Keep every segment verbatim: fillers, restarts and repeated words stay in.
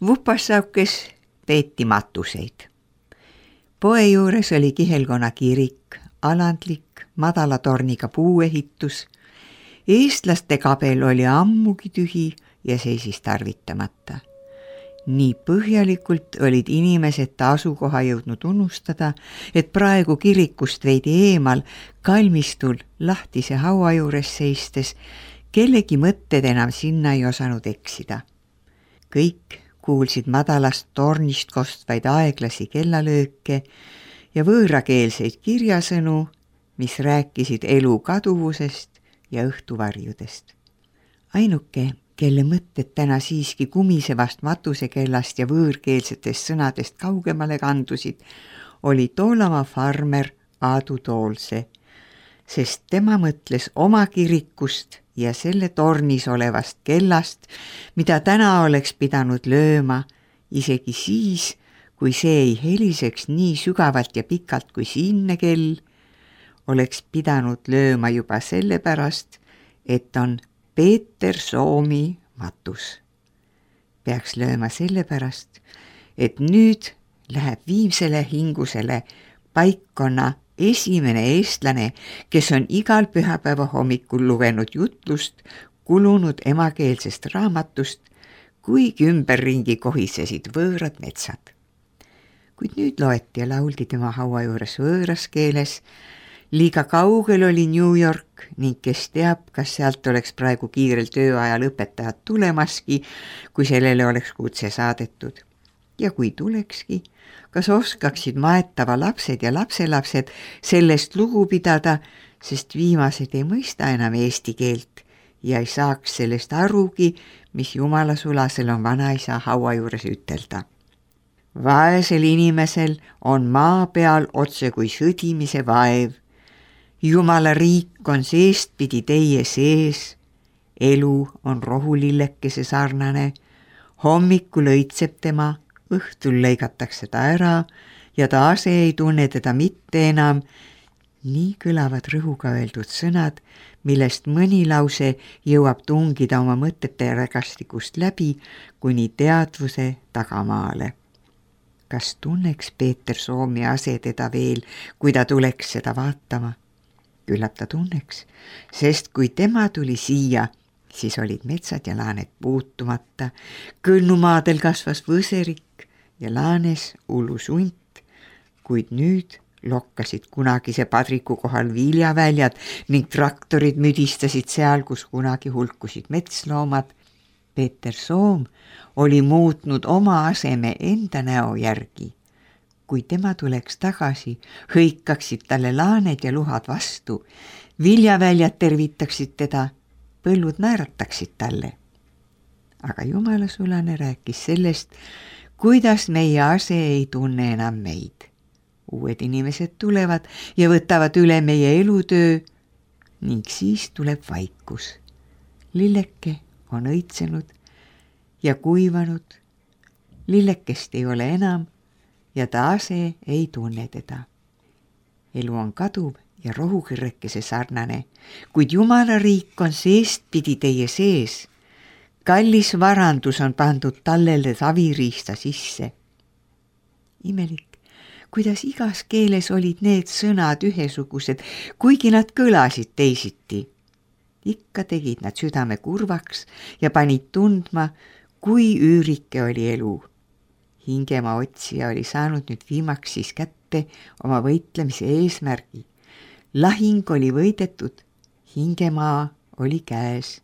Vupassaukes peeti matuseid. Poe juures oli Kihelkonna kirik, alandlik, madala torniga puuehitus. Eestlaste kabel oli ammugi tühi ja seisis tarvitamata. Nii põhjalikult olid inimesed ta asukoha jõudnud unustada, et praegu kirikust veidi eemal kalmistul lahtise haua juures seistes kellegi mõtted enam sinna ei osanud eksida. Kõik kuulsid madalast tornist kostvaid aeglasi kellalööke ja võõrakeelseid kirjasõnu, mis rääkisid elu kaduvusest ja õhtuvarjudest. Ainuke, kelle mõtted täna siiski kumisevast matusekellast ja võõrkeelsetest sõnadest kaugemale kandusid, oli Toolamaa farmer Aadu Toolse, sest tema mõtles oma kirikust ja selle tornis olevast kellast, mida täna oleks pidanud lööma, isegi siis, kui see ei heliseks nii sügavalt ja pikalt kui siinne kell, oleks pidanud lööma juba sellepärast, et on Peeter Soomi matus. Peaks lööma sellepärast, et nüüd läheb viimsele hingusele paikkonna esimene eestlane, kes on igal pühapäeva hommikul lugenud jutlust kulunud emakeelsest raamatust, kuigi ümberringi kohisesid võõrad metsad. Kuid nüüd loeti ja lauldi tema haua juures võõras keeles. Liiga kaugel oli New York ning kes teab, kas sealt oleks praegu kiirelt tööajal õpetajad tulemaski, kui sellele oleks kutse saadetud. Ja kui tulekski, kas oskaksid maetava lapsed ja lapselapsed sellest lugu pidada, sest viimased ei mõista enam eesti keelt ja ei saaks sellest arugi, mis jumala sulasel on vanaisa haua juures ütelda. Vaesel inimesel on maa peal otse kui sõdimise vaev. Jumala riik on seestpidi teie sees, elu on rohulillekese sarnane, hommikul õitseb tema, õhtul lõigatakse ta ära ja ta ase ei tunne teda mitte enam. Nii kõlavad rõhuga öeldud sõnad, millest mõni lause jõuab tungida oma mõtete rägastikust läbi kuni teadvuse tagamaale. Kas tunneks Peeter Soomi ase teda veel, kui ta tuleks seda vaatama? Küllap ta tunneks, sest kui tema tuli siia, siis olid metsad ja laaned puutumata, kõlnumaadel kasvas võserik ja laanes ullus unt, kuid nüüd lokkasid kunagise padriku kohal viljaväljad ning traktorid müdistasid seal, kus kunagi hulkusid metsloomad. Peeter Soom oli muutnud oma aseme enda näo järgi. Kui tema tuleks tagasi, hõikaksid talle laaned ja luhad vastu, viljaväljad tervitaksid teda, põllud naerataksid talle. Aga jumala sulane rääkis sellest, kuidas meie ase ei tunne enam meid. Uued inimesed tulevad ja võtavad üle meie elutöö ning siis tuleb vaikus. Lilleke on õitsenud ja kuivanud, lillekest ei ole enam ja ta ase ei tunne teda. Elu on kaduv ja rohukirrekese sarnane, kuid jumala riik on seestpidi teie sees. Kallis varandus on pandud tallele saviriista sisse. Imelik, kuidas igas keeles olid need sõnad ühesugused, kuigi nad kõlasid teisiti. Ikka tegid nad südame kurvaks ja panid tundma, kui üürike oli elu. Hingemaa otsija oli saanud nüüd viimaks siis kätte oma võitlemise eesmärgi. Lahing oli võidetud, hingemaa oli käes.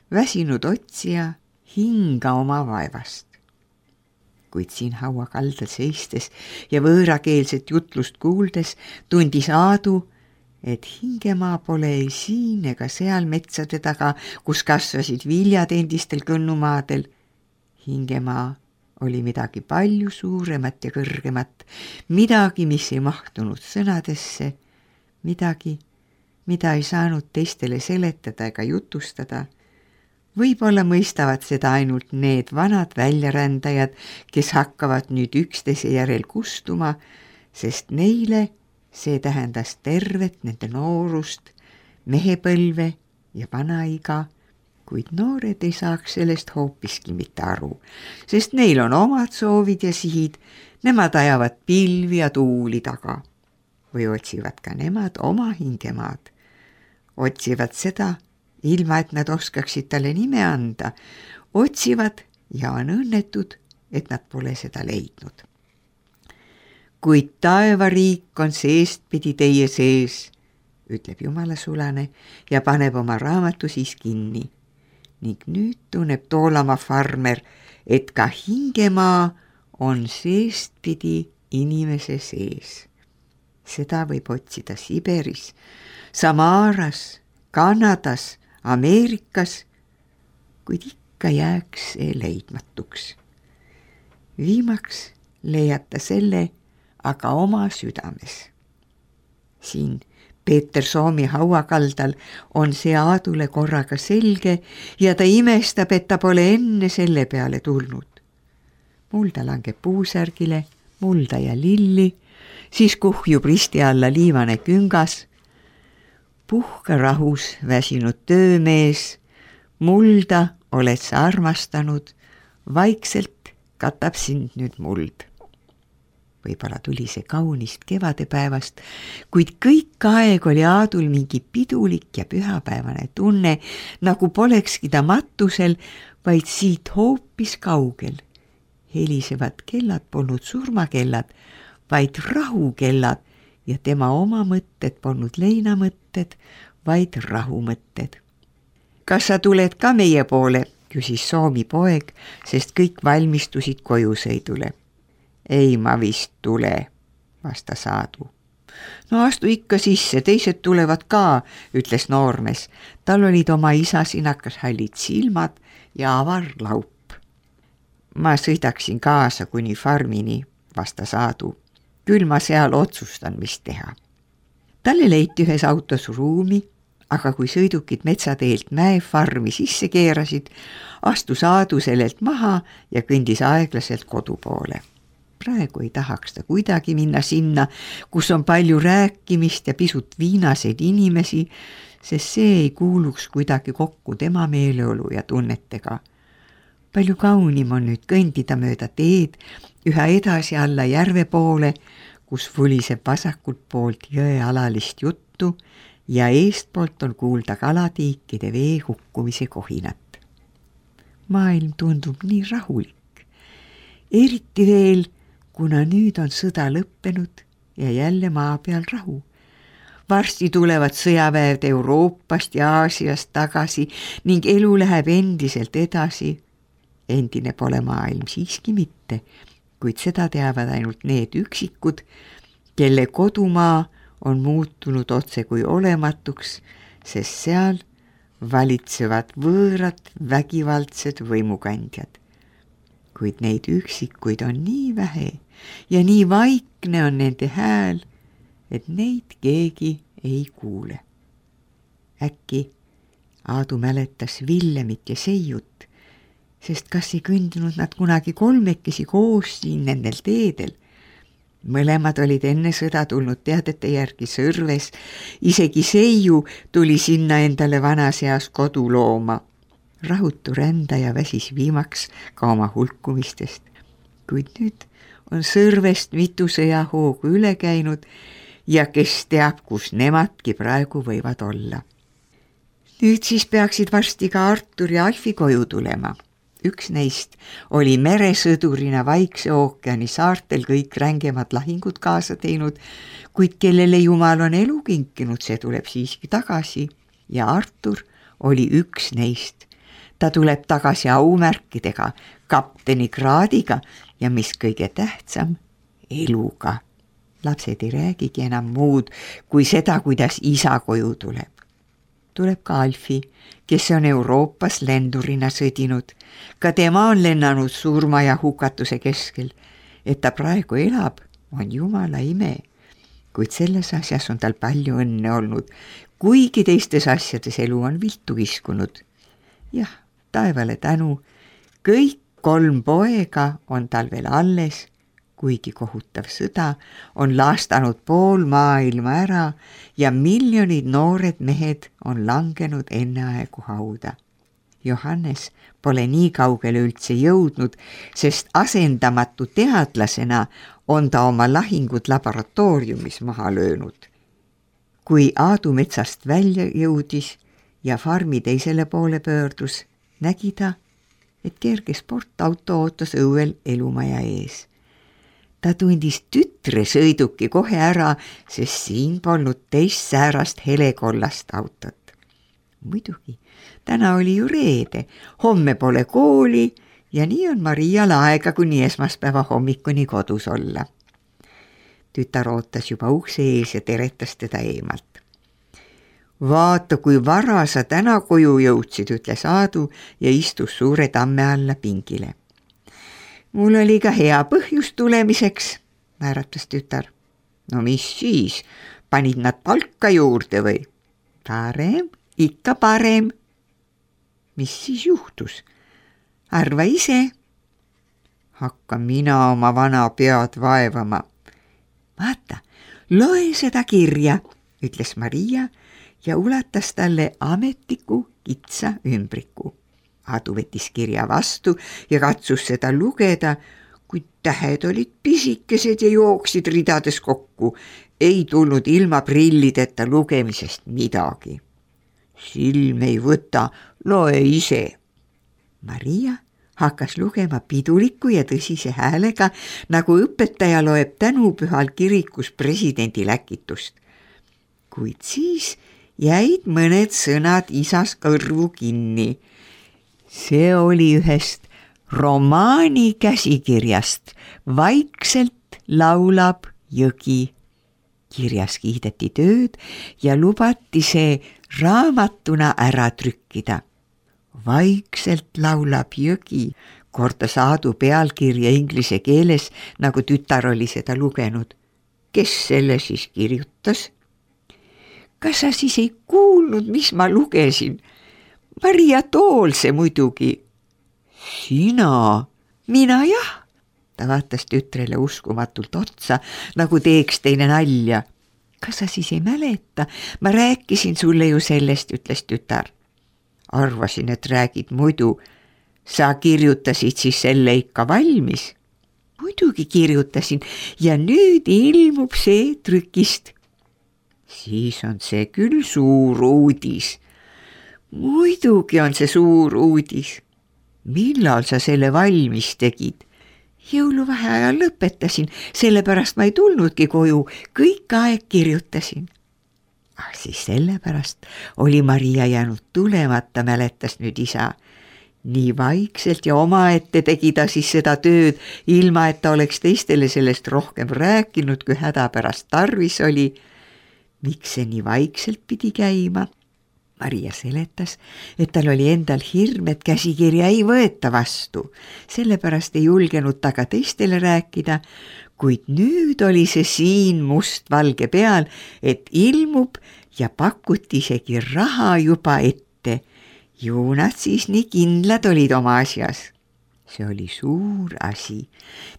Väsinud otsija hinga oma vaevast. Kuid siin haua kaldal seistes ja võõrakeelset jutlust kuuldes tundis Aadu, et hingemaa pole ei siin ega seal metsade taga, kus kasvasid viljad endistel kõnnumaadel. Hingemaa oli midagi palju suuremat ja kõrgemat, midagi, mis ei mahtunud sõnadesse, midagi, mida ei saanud teistele seletada ega jutustada. Võib-olla mõistavad seda ainult need vanad väljarändajad, kes hakkavad nüüd üksteise järel kustuma, sest neile see tähendas tervet nende noorust, mehepõlve ja vanaiga, kuid noored ei saaks sellest hoopiski mitte aru, sest neil on omad soovid ja sihid, nemad ajavad pilvi ja tuuli taga. Või otsivad ka nemad oma hingemaad. Otsivad seda, ilma et nad oskaksid talle nime anda, otsivad ja on õnnetud, et nad pole seda leidnud. Kuid taevariik on seestpidi teie sees, ütleb Jumala sulane ja paneb oma raamatu siis kinni. Ning nüüd tunneb Toolamaa farmer, et ka hingemaa on seestpidi inimese sees. Seda võib otsida Siberis, Samaaras, Kanadas, Ameerikas, kuid ikka jääks see leidmatuks. Viimaks leiab ta selle aga oma südames. Siin Peeter Soomi hauakaldal on see Aadule korraga selge ja ta imestab, et ta pole enne selle peale tulnud. Mulda langeb puusärgile, mulda ja lilli, siis kuhjub risti alla liivane küngas. Puhka rahus väsinud töömees, mulda oled sa armastanud, vaikselt katab sind nüüd muld. Võib-olla tuli see kaunist kevadepäevast, kuid kõik aeg oli Aadul mingi pidulik ja pühapäevane tunne, nagu polekski ta matusel, vaid siit hoopis kaugel. Helisevad kellad polnud surmakellad, vaid rahukellad ja tema oma mõtted polnud leinamõtted, vaid rahumõtted. Kas sa tuled ka meie poole, küsis Soomi poeg, sest kõik valmistusid kojusõidule. Ei ma vist tule, vastas Aadu. No astu ikka sisse, teised tulevad ka, ütles noormees. Tal olid oma isa sinakas hallid silmad ja avar laup. Ma sõidaksin kaasa kuni farmini, vastas Aadu. Küll ma seal otsustan, mis teha. Talle leiti ühes autos ruumi, aga kui sõidukid metsateelt mäefarmi sisse keerasid, astus Aadu sellelt maha ja kõndis aeglaselt kodu poole. Praegu ei tahaks ta kuidagi minna sinna, kus on palju rääkimist ja pisut viinaseid inimesi, sest see ei kuuluks kuidagi kokku tema meeleolu ja tunnetega. Palju kaunim on nüüd kõndida mööda teed üha edasi alla järve poole, kus vuliseb vasakult poolt jõe alalist juttu ja eestpoolt on kuulda kalatiikide vee hukkumise kohinat. Maailm tundub nii rahulik, eriti veel, kuna nüüd on sõda lõppenud ja jälle maa peal rahu. Varsti tulevad sõjaväed Euroopast ja Aasiast tagasi ning elu läheb endiselt edasi. Endine pole maailm siiski mitte, kuid seda teavad ainult need üksikud, kelle kodumaa on muutunud otse kui olematuks, sest seal valitsevad võõrad vägivaldsed võimukandjad. Kuid neid üksikuid on nii vähe ja nii vaikne on nende hääl, et neid keegi ei kuule. Äkki Aadu mäletas Villemit ja Seiut, sest kas ei kõndinud nad kunagi kolmekesi koos siin nendel teedel. Mõlemad olid enne sõda tulnud teadete järgi Sõrves, isegi Seiu tuli sinna endale vanas eas kodu looma. Rahutu rändaja väsis viimaks ka oma hulkumistest, kuid nüüd on Sõrvest mitu sõjahoogu üle käinud ja kes teab, kus nemadki praegu võivad olla. Nüüd siis peaksid varsti ka Artur ja Alfi koju tulema. Üks neist oli meresõdurina Vaikse ookeani saartel kõik rängemad lahingud kaasa teinud, kuid kellele Jumal on elu kinkinud, see tuleb siiski tagasi ja Artur oli üks neist. Ta tuleb tagasi aumärkidega, kapteni kraadiga ja mis kõige tähtsam, eluga. Lapsed ei räägigi enam muud kui seda, kuidas isa koju tuleb. Tuleb ka Alfi, kes on Euroopas lendurina sõdinud. Ka tema on lennanud surma ja hukatuse keskel. Et ta praegu elab, on Jumala ime. Kuid selles asjas on tal palju õnne olnud, kuigi teistes asjades elu on viltu kiskunud. Jah, taevale tänu, kõik kolm poega on tal veel alles, kuigi kohutav sõda on laastanud pool maailma ära ja miljonid noored mehed on langenud enneaegu hauda. Johannes pole nii kaugele üldse jõudnud, sest asendamatu teadlasena on ta oma lahingud laboratooriumis maha löönud. Kui Aadu metsast välja jõudis ja farmi teisele poole pöördus, nägi ta, et kerge sportauto ootas õuel elumaja ees. Ta tundis tütre sõiduki kohe ära, sest siin polnud teist säärast helekollast autot. Muidugi, täna oli ju reede, homme pole kooli ja nii on Marial aega kuni esmaspäeva hommikuni kodus olla. Tütar ootas juba ukse ees ja teretas teda eemalt. Vaata, kui vara sa täna koju jõudsid, ütles Aadu ja istus suure tamme alla pingile. Mul oli ka hea põhjus tulemiseks, määratas tütar. No mis siis, panid nad palka juurde või? Parem, ikka parem. Mis siis juhtus? Arva ise. Hakka mina oma vana pead vaevama. Vaata, loe seda kirja, ütles Maria ja ulatas talle ametliku kitsa ümbriku. Aadu võttis kirja vastu ja katsus seda lugeda, kuid tähed olid pisikesed ja jooksid ridades kokku. Ei tulnud ilma prillideta lugemisest midagi. Silm ei võta, loe ise. Maria hakkas lugema piduliku ja tõsise häälega, nagu õpetaja loeb tänupühal kirikus presidendi läkitust. Kuid siis jäid mõned sõnad isas kõrvu kinni. See oli ühest romaani käsikirjast Vaikselt laulab jõgi. Kirjas kiideti tööd ja lubati see raamatuna ära trükkida. Vaikselt laulab jõgi, kordas Aadu pealkirja inglise keeles, nagu tütar oli seda lugenud. Kes selle siis kirjutas? Kas sa siis ei kuulnud, mis ma lugesin? Maria Toolse muidugi. Sina? Mina jah. Ta vaatas tütrele uskumatult otsa, nagu teeks teine nalja. Kas sa siis ei mäleta? Ma rääkisin sulle ju sellest, ütles tütar. Arvasin, et räägid muidu. Sa kirjutasid siis selle ikka valmis? Muidugi kirjutasin ja nüüd ilmub see trükist. Siis on see küll suur uudis. Muidugi on see suur uudis. Millal sa selle valmis tegid? Jõuluvaheajal lõpetasin, sellepärast ma ei tulnudki koju, kõik aeg kirjutasin. Ah, siis sellepärast oli Maria jäänud tulemata, mäletas nüüd isa. Nii vaikselt ja omaette tegi ta siis seda tööd, ilma et ta oleks teistele sellest rohkem rääkinud, kui hädapärast tarvis oli. Miks see nii vaikselt pidi käima? Maria seletas, et tal oli endal hirm, et käsikirja ei võeta vastu. Sellepärast ei julgenud ta ka teistele rääkida, kuid nüüd oli see siin must-valge peal, et ilmub ja pakuti isegi raha juba ette. Ju nad siis nii kindlad olid oma asjas. See oli suur asi,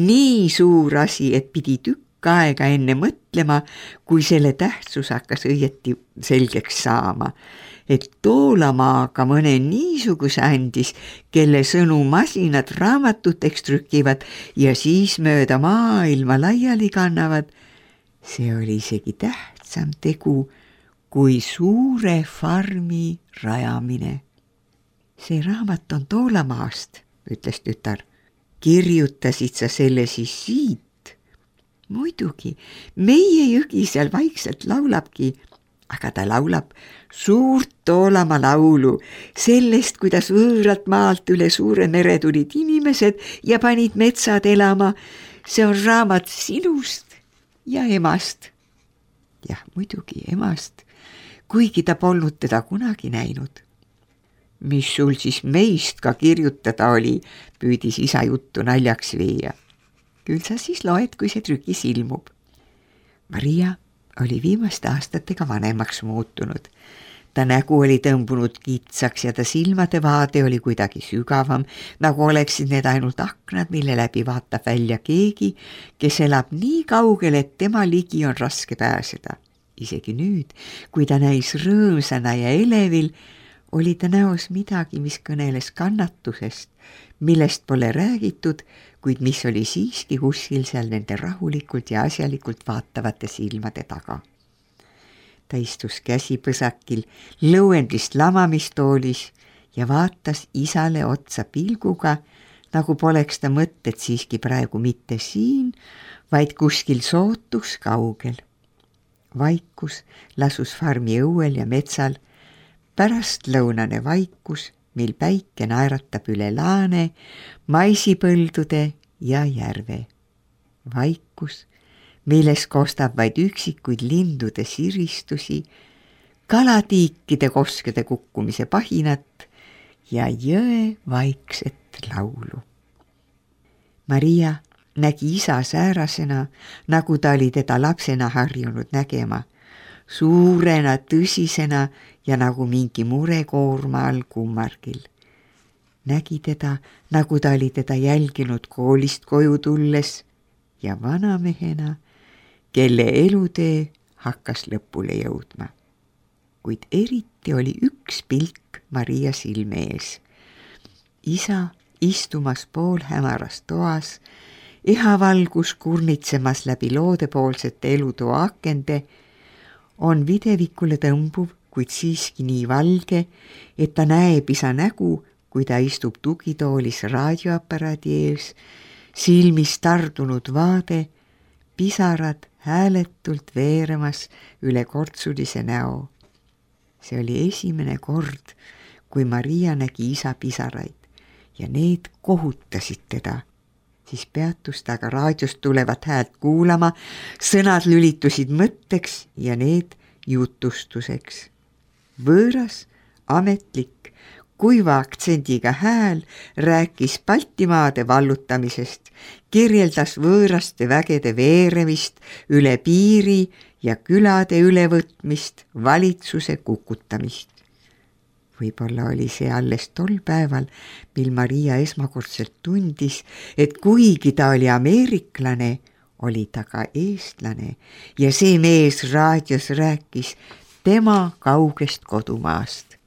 nii suur asi, et pidi tükk aega enne mõtlema, kui selle tähtsus hakkas õieti selgeks saama. Et Toolamaaga mõne niisuguse andis, kelle sõnu masinad raamatuteks trükivad ja siis mööda maailma laiali kannavad. See oli isegi tähtsam tegu kui suure farmi rajamine. See raamat on Toolamaast, ütles tütar. Kirjutasid sa selle siis siit? Muidugi, meie jõgi seal vaikselt laulabki, aga ta laulab suurt Toolamaa laulu sellest, kuidas võõralt maalt üle suure mere tulid inimesed ja panid metsad elama. See on raamat sinust ja emast. Jah, muidugi emast, kuigi ta polnud teda kunagi näinud. Mis sul siis meist ka kirjutada oli, püüdis isa juttu naljaks viia. Küll sa siis loed, kui see trükis ilmub. Maria oli viimaste aastatega vanemaks muutunud. Ta nägu oli tõmbunud kitsaks ja ta silmade vaade oli kuidagi sügavam, nagu oleksid need ainult aknad, mille läbi vaatab välja keegi, kes elab nii kaugel, et tema ligi on raske pääseda. Isegi nüüd, kui ta näis rõõmsana ja elevil, oli ta näos midagi, mis kõneles kannatusest, millest pole räägitud, kuid mis oli siiski kuskil seal nende rahulikult ja asjalikult vaatavate silmade taga. Ta istus käsipõsakil lõuendist lamamistoolis ja vaatas isale otsa pilguga, nagu poleks ta mõtted siiski praegu mitte siin, vaid kuskil sootus kaugel. Vaikus lasus farmi õuel ja metsal, pärast lõunane vaikus, mil päike naeratab üle laane, maisipõldude ja järve. Vaikus, milles kostab vaid üksikuid lindude siristusi, kalatiikide koskede kukkumise pahinat ja jõe vaikset laulu. Maria nägi isa säärasena, nagu ta oli teda lapsena harjunud nägema, suurena, tõsisena ja nagu mingi murekoorma all kummargil. Nägi teda, nagu ta oli teda jälginud koolist koju tulles ja vanamehena, kelle elutee hakkas lõpule jõudma. Kuid eriti oli üks pilk Maria silme ees. Isa istumas poolhämaras toas, ihavalgus kurnitsemas läbi loodepoolsete elutoa akende, on videvikule tõmbuv, kuid siiski nii valge, et ta näeb isa nägu, kui ta istub tugitoolis raadioaparaadi ees, silmis tardunud vaade, pisarad hääletult veeremas üle kortsulise näo. See oli esimene kord, kui Maria nägi isa pisaraid ja need kohutasid teda. Siis peatus ta aga raadiost tulevat häält kuulama, sõnad lülitusid mõtteks ja need jutustuseks. Võõras, ametlik, kuiva aktsendiga hääl rääkis Baltimaade vallutamisest, kirjeldas võõraste vägede veeremist üle piiri ja külade ülevõtmist, valitsuse kukutamist. Võib-olla oli see alles tol päeval, mil Maria esmakordselt tundis, et kuigi ta oli ameeriklane, oli ta ka eestlane ja see mees raadios rääkis tema kaugest kodumaast.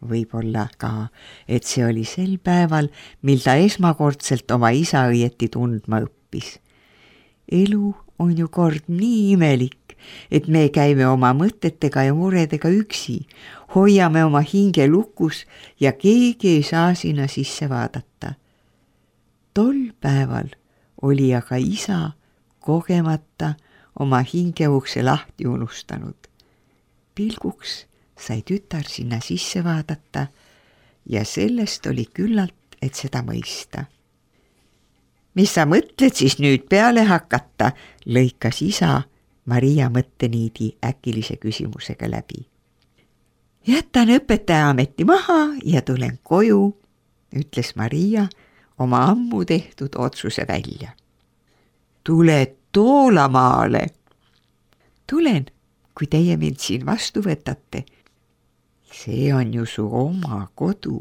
Võib-olla ka, et see oli sel päeval, mil ta esmakordselt oma isa õieti tundma õppis. Elu on ju kord nii imelik, et me käime oma mõtetega ja muredega üksi, hoiame oma hinge lukus ja keegi ei saa sinna sisse vaadata. Tol päeval oli aga isa kogemata oma hingeukse lahti unustanud. Pilguks sai tütar sinna sisse vaadata ja sellest oli küllalt, et seda mõista. Mis sa mõtled siis nüüd peale hakata, lõikas isa Maria mõtteniidi äkilise küsimusega läbi. Jätan õpetaja ameti maha ja tulen koju, ütles Maria oma ammu tehtud otsuse välja. Tule Toolamaale. Tulen, kui teie mind siin vastu võtate. See on ju su oma kodu.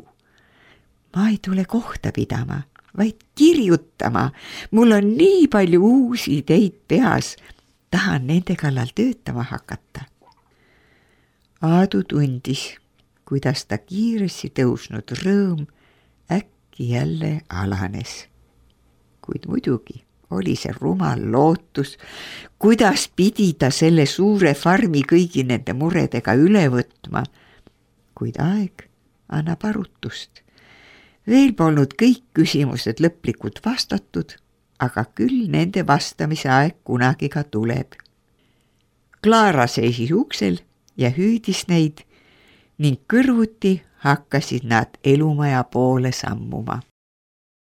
Ma ei tule kohta pidama, vaid kirjutama. Mul on nii palju uusi ideid peas. Tahan nende kallal töötama hakata. Aadu tundis, kuidas ta kiiresti tõusnud rõõm äkki jälle alanes. Kuid muidugi oli see rumal lootus, kuidas pidi ta selle suure farmi kõigi nende muredega üle võtma. Kuid aeg annab arutust. Veel polnud kõik küsimused lõplikult vastatud, aga küll nende vastamise aeg kunagi ka tuleb. Klaara seisis uksel ja hüüdis neid ning kõrvuti hakkasid nad elumaja poole sammuma.